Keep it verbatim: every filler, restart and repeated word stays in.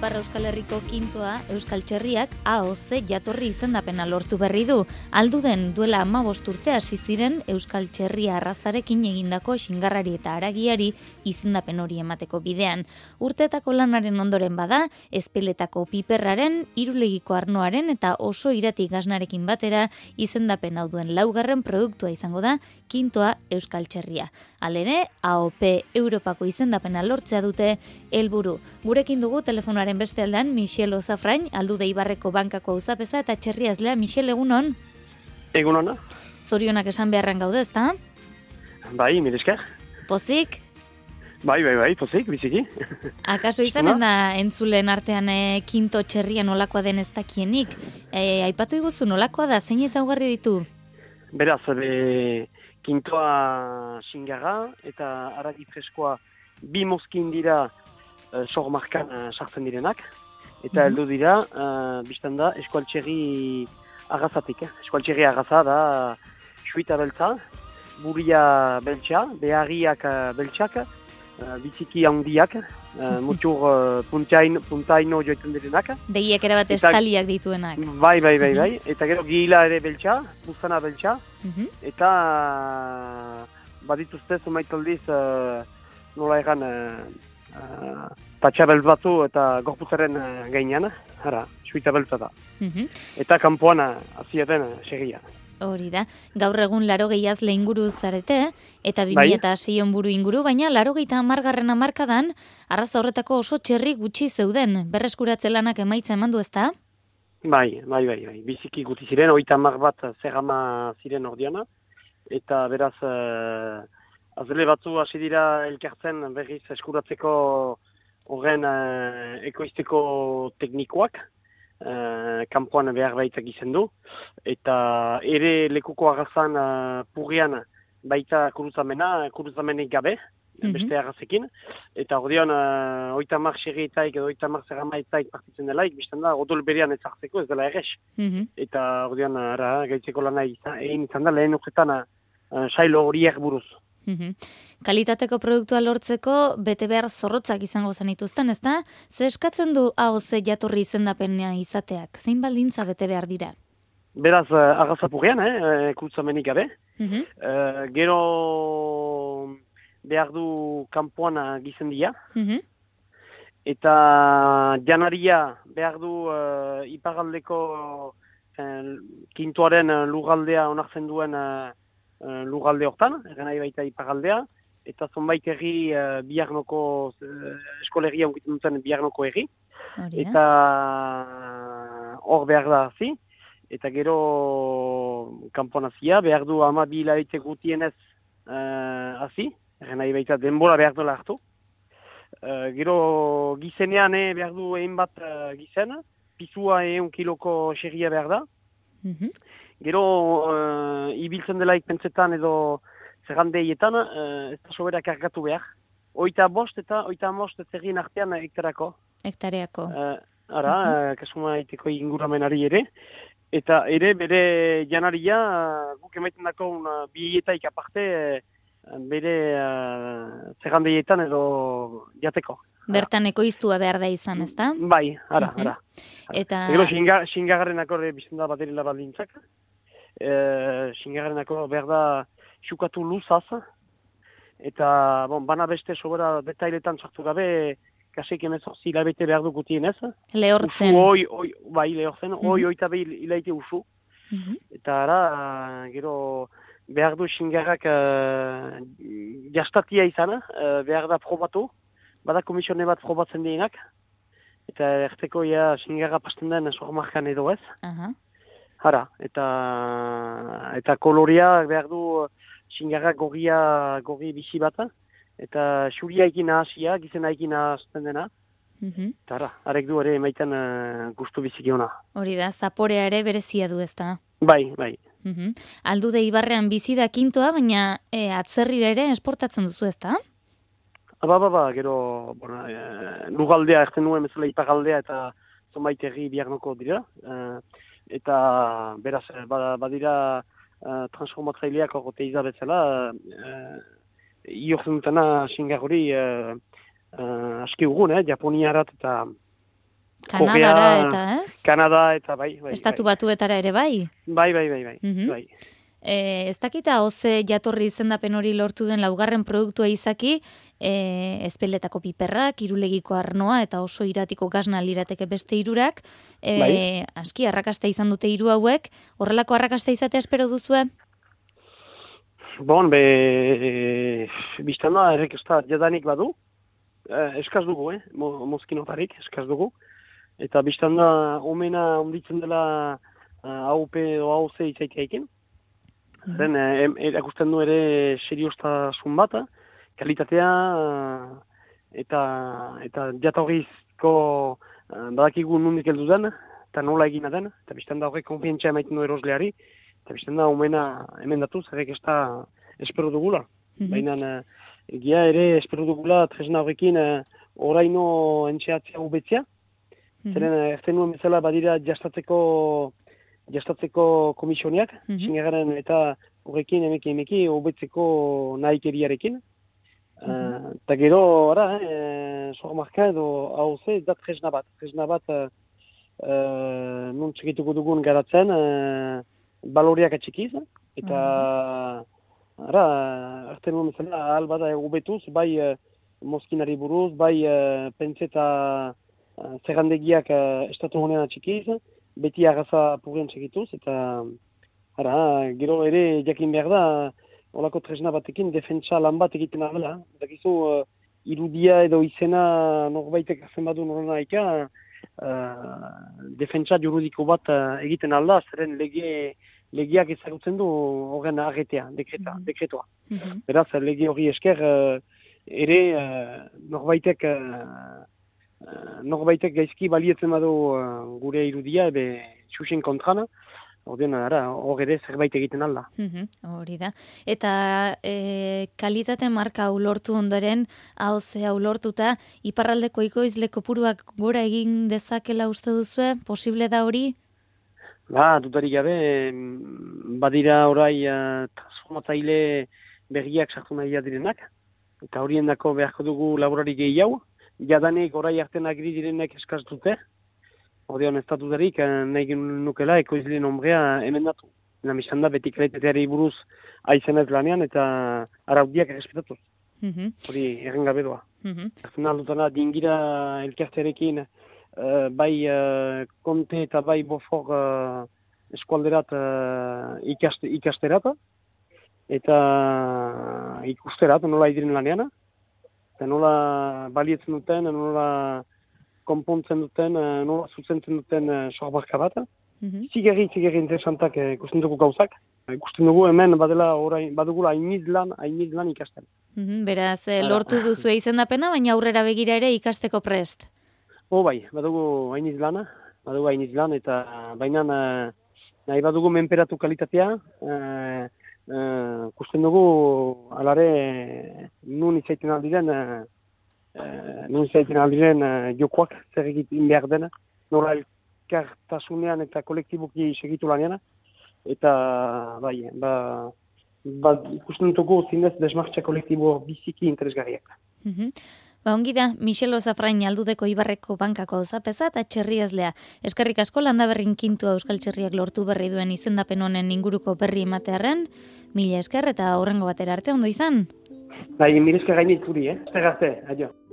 Ipar Euskal Herriko kintoa Euskal Txerriak A O Z jatorri izendapena lortu berri du. Alduden duela hamabost urte hasi ziren Euskal Txerria arrazarekin egindako xingarrari eta haragiari izendapen hori emateko bidean. Urteetako lanaren ondoren bada, ezpeletako piperraren, irulegiko arnoaren eta oso irati gaznarekin batera izendapen hau duen laugarren produktua izango da kintoa Euskal Txerria. Halere, A O P Europako izendapena lortzea dute helburu. Gurekin dugu telefonoaren beste aldean Michel Ozafrain, Aldude Ibarreko bankako auzapeza eta txerriazlea. Michel, egunon? Egunon. Zorionak esan beharren gaude, ezta? Bai, mire esker. Pozik? Bai, bai, bai, pozik, biziki. Akaso izanen da entzulen artean e, kinto txerria nolakoa den ez dakienik. E, aipatu iguzu nolakoa da, zein ezaugarri ditu? Beraz, be, kintoa xingarra eta haragi freskoa bi mozkin dira uh, sormarkan uh, sartzen direnak. Eta heldu dira, uh, biztan da, eskualtxerri agazatik. Eh? Eskualtxerri agaza da suita beltza, buria beltxa, beharriak uh, beltxak, uh, biziki handiak, uh, mutur uh, puntaino, puntaino joiten direnak. Deiek erabat estaliak dituenak. Bai, bai, bai, bai. Eta gero gila ere beltxa, buztana beltxa. Mhm. Eta uh, badituzte zumaitaldiz uh, nola egan uh, uh, patxabel batzu eta gorputzaren uh, gainean, ara, suita beltza da. Mhm. Eta kanpoan haziaten uh, segia. Hori da, gaur egun laro gehiazle inguru zarete, eta bi mila eta sei buru inguru, baina laro gehieta hamargarren hamarkadan, arraza horretako oso txerri gutxi zeuden, berreskuratze lanak emaitza eman du ezta? Bai, bai, bai, bai, biziki guti ziren, oita hamar bat zerrama ziren ordiana, eta beraz, uh, azle batzu hasi dira elkartzen berriz eskuratzeko horren uh, ekoizteko teknikoak, uh, kanpoan behar baitak izan du, eta ere lekuko agazan uh, purrian baita kuruzamena, kuruzamenik gabe, mm-hmm. beste agazekin, eta ordean uh, oita hamar xerrietaik edo oita hamar zerramaetaik partitzen delaik, biztan da, odol berean ez hartzeko, ez dela errex. Mm-hmm. Eta ordean, ara, gaitzeko lana egin izan da, lehen urtetan uh, sailo horiek buruz. Mm-hmm. Kalitateko produktua lortzeko bete behar zorrotzak izango zenituzten, ezta? Ze eskatzen du A O Z jatorri izendapena izateak? Zein baldintza bete behar dira? Beraz, uh, agazapurrean, eh, kuruzamenik gabe. Mm-hmm. Uh, gero behar du kanpoan gizendia. Mm-hmm. Eta janaria behar du uh, iparaldeko uh, kintoaren uh, lugaldea onartzen duen uh, uh, lugalde hortan, egan nahi baita iparaldea, eta zonbait erri uh, biarnoko uh, eskolegia onkitzen duten biarnoko erri. Eta hor behar da hazi. Eta gero kanpoan hazia, behar du ama bi hilabete gutienez uh, hazi. Egan nahi baita denbora behar duela hartu. Uh, gero gizenean eh, behar du egin bat uh, gizen, pizua egun kiloko xerria behar da. Mm-hmm. Gero uh, ibiltzen delaik pentsetan edo zerrandeietan, uh, ez da sobera kargatu behar. Oita bost eta oita bost zerrien artean hektarako. Hektareako. Uh, ara, mm-hmm. uh, kasuma iteko inguramenari ere. Eta ere bere janaria, uh, guk emaiten dako uh, bietaik aparte, uh, bere uh, zerrandeietan edo jateko. Bertan ekoiztua behar da izan, ezta? Bai, ara, uh-huh. ara. Eta... Ego xingarrenako bizten da baterila baldintzak. E, xingarrenako behar da xukatu luzaz. Eta, bon, bana beste sobera detailetan sartu gabe, kasek emezortzi hilabete behar du gutienez. Lehortzen. Usu, oi, oi, bai, lehortzen, uh-huh. oi, oita behi hilaite usu. Uh-huh. Eta ara, gero... behar du xingarrak uh, jastatia izan, uh, behar da probatu, bada komisione bat probatzen dienak, eta erteko ja xingarra pasten den sormarkan edo ez. Uh-huh. Hara, eta, eta koloria behar du xingarra gorria, gorri bizi bat, eta xuria ekin nahasia, gizena ekin nahazten dena. Uh-huh. Eta hara, arek du ere emaiten uh, gustu biziki ona. Hori da, zaporea ere berezia du ezta? Bai, bai. Uhum. Aldude Ibarrean bizi da kintoa, baina e, atzerrira ere esportatzen duzu ezta? Ba, ba, ba, gero, bona, e, lugaldea, erten nuen bezala ipagaldea eta zonbait erri biarnoko dira. E, eta, beraz, badira ba transformatzaileak horrete izabezela, e, iortzen dutena xingar hori e, e, aski ugun, eh, Japoniarat eta Kanadara eta, ez? Kanada eta bai. bai Estatu bai. Batuetara ere bai? Bai, bai, bai, bai. Mm-hmm. bai. E, ez dakita oze jatorri izendapen hori lortu den laugarren produktua izaki, e, ezpeletako piperrak, irulegiko arnoa eta oso iratiko gazna lirateke beste hirurak, e, bai. aski arrakasta izan dute hiru hauek, horrelako arrakasta izatea espero duzue? Bon, be, e, biztan da, errekesta jadanik badu, e, eskaz dugu, eh? Mo, mozkinotarik, eskaz dugu, eta biztan da, omena onditzen dela A U P edo A O C izaiteaiken, Zen, erakusten du ere seriostasun bat, kalitatea eta eta jatorrizko badakigu nondik heldu den, eta nola egina den, eta biztan da horrek konfientzia emaiten du erosleari, eta biztan da omena hemen datuz, errek ez da espero dugula. Mm-hmm. Baina egia ere espero dugula tresna horrekin oraino entxeatzea ubetzea, mm-hmm. Zeren erten nuen bezala badira jastatzeko jastatzeko komisioniak, mm-hmm. Zingaren eta horrekin emeki emeki hobetzeko nahikeriarekin. Mm-hmm. Uh, eta gero, ara, eh, sormarka edo hau ze, da tresna bat. Tresna bat, uh, uh, nun txekituko dugun garatzen, uh, baloriak atxikiz, eta, mm-hmm. ara, arte nuen bezala, ahal bada hobetuz, bai uh, mozkinari buruz, bai uh, pentseta uh, zerrandegiak uh, estatu honean atxikiz, beti agaza purien txekituz, eta ara, gero ere jakin behar da, olako tresna batekin defentsa lan bat egiten dela. Dakizu, uh, irudia edo izena norbaitek hartzen badu norena ika, uh, defentsa juridiko bat uh, egiten alda, zeren lege, legeak ezagutzen du horren arretea, dekreta, mm-hmm. dekretoa. Mm-hmm. Beraz, lege hori esker, uh, ere uh, norbaitek... Uh, Uh, norbaitek gaizki balietzen badu uh, gure irudia, ebe xuxen kontrana, ordean, ara, hor ere zerbait egiten alda. Mm-hmm, hori da. Eta e, kalitate marka hau lortu ondoren, hau ze hau lortuta, iparraldeko ikoizle kopuruak gora egin dezakela uste duzue? Posible da hori? Ba, dutarik gabe, badira orai uh, transformatzaile berriak sartu nahi direnak, eta horien dako beharko dugu laborari gehiago, jadanik orai arten agri direnek eskaz dute, ordean ez datudarik nahi nukela ekoizleen ombrea emendatu. Namizan da beti kalitateari buruz aizenez lanean eta araudiak errespetatuz. Mm-hmm. Hori erren gabe doa. Mm-hmm. Aldutana dingira elkartearekin uh, bai uh, konte eta bai bofor uh, eskualderat uh, ikaste, ikasterat eta ikusterat nola idiren lanean. Eta nola balietzen duten, nola konpontzen duten, nola zuzentzen duten sorbarka bat. Mm-hmm. Zigerri, zigerri interesantak ikusten dugu gauzak. Ikusten dugu hemen badela orain, badugula hainiz lan, hainiz lan ikasten. Mm-hmm. Beraz, lortu duzu izendapena, baina aurrera begira ere ikasteko prest. O bai, badugu hainiz lana, badugu hainiz lan, eta baina nahi badugu menperatu kalitatea, uh, Uh, kusten dugu alare nun izaiten aldiren uh, uh, nun izaiten aldiren uh, jokoak zer egiten behar dena, nola elkartasunean eta kolektiboki segitu lanean, eta bai, ba, ba ikusten dugu zinez desmartxa kolektibo biziki interesgarriak. Mm-hmm. Ba, ongi da, Michel Ozafrain Aldudeko Ibarreko bankako zapeza eta txerriazlea. Eskerrik asko Landaberrin kintua Euskal Txerriak lortu berri duen izendapen honen inguruko berri ematearren, mila esker eta aurrengo batera arte ondo izan. Bai, mila esker gainit zuri, eh? Zer arte, adio.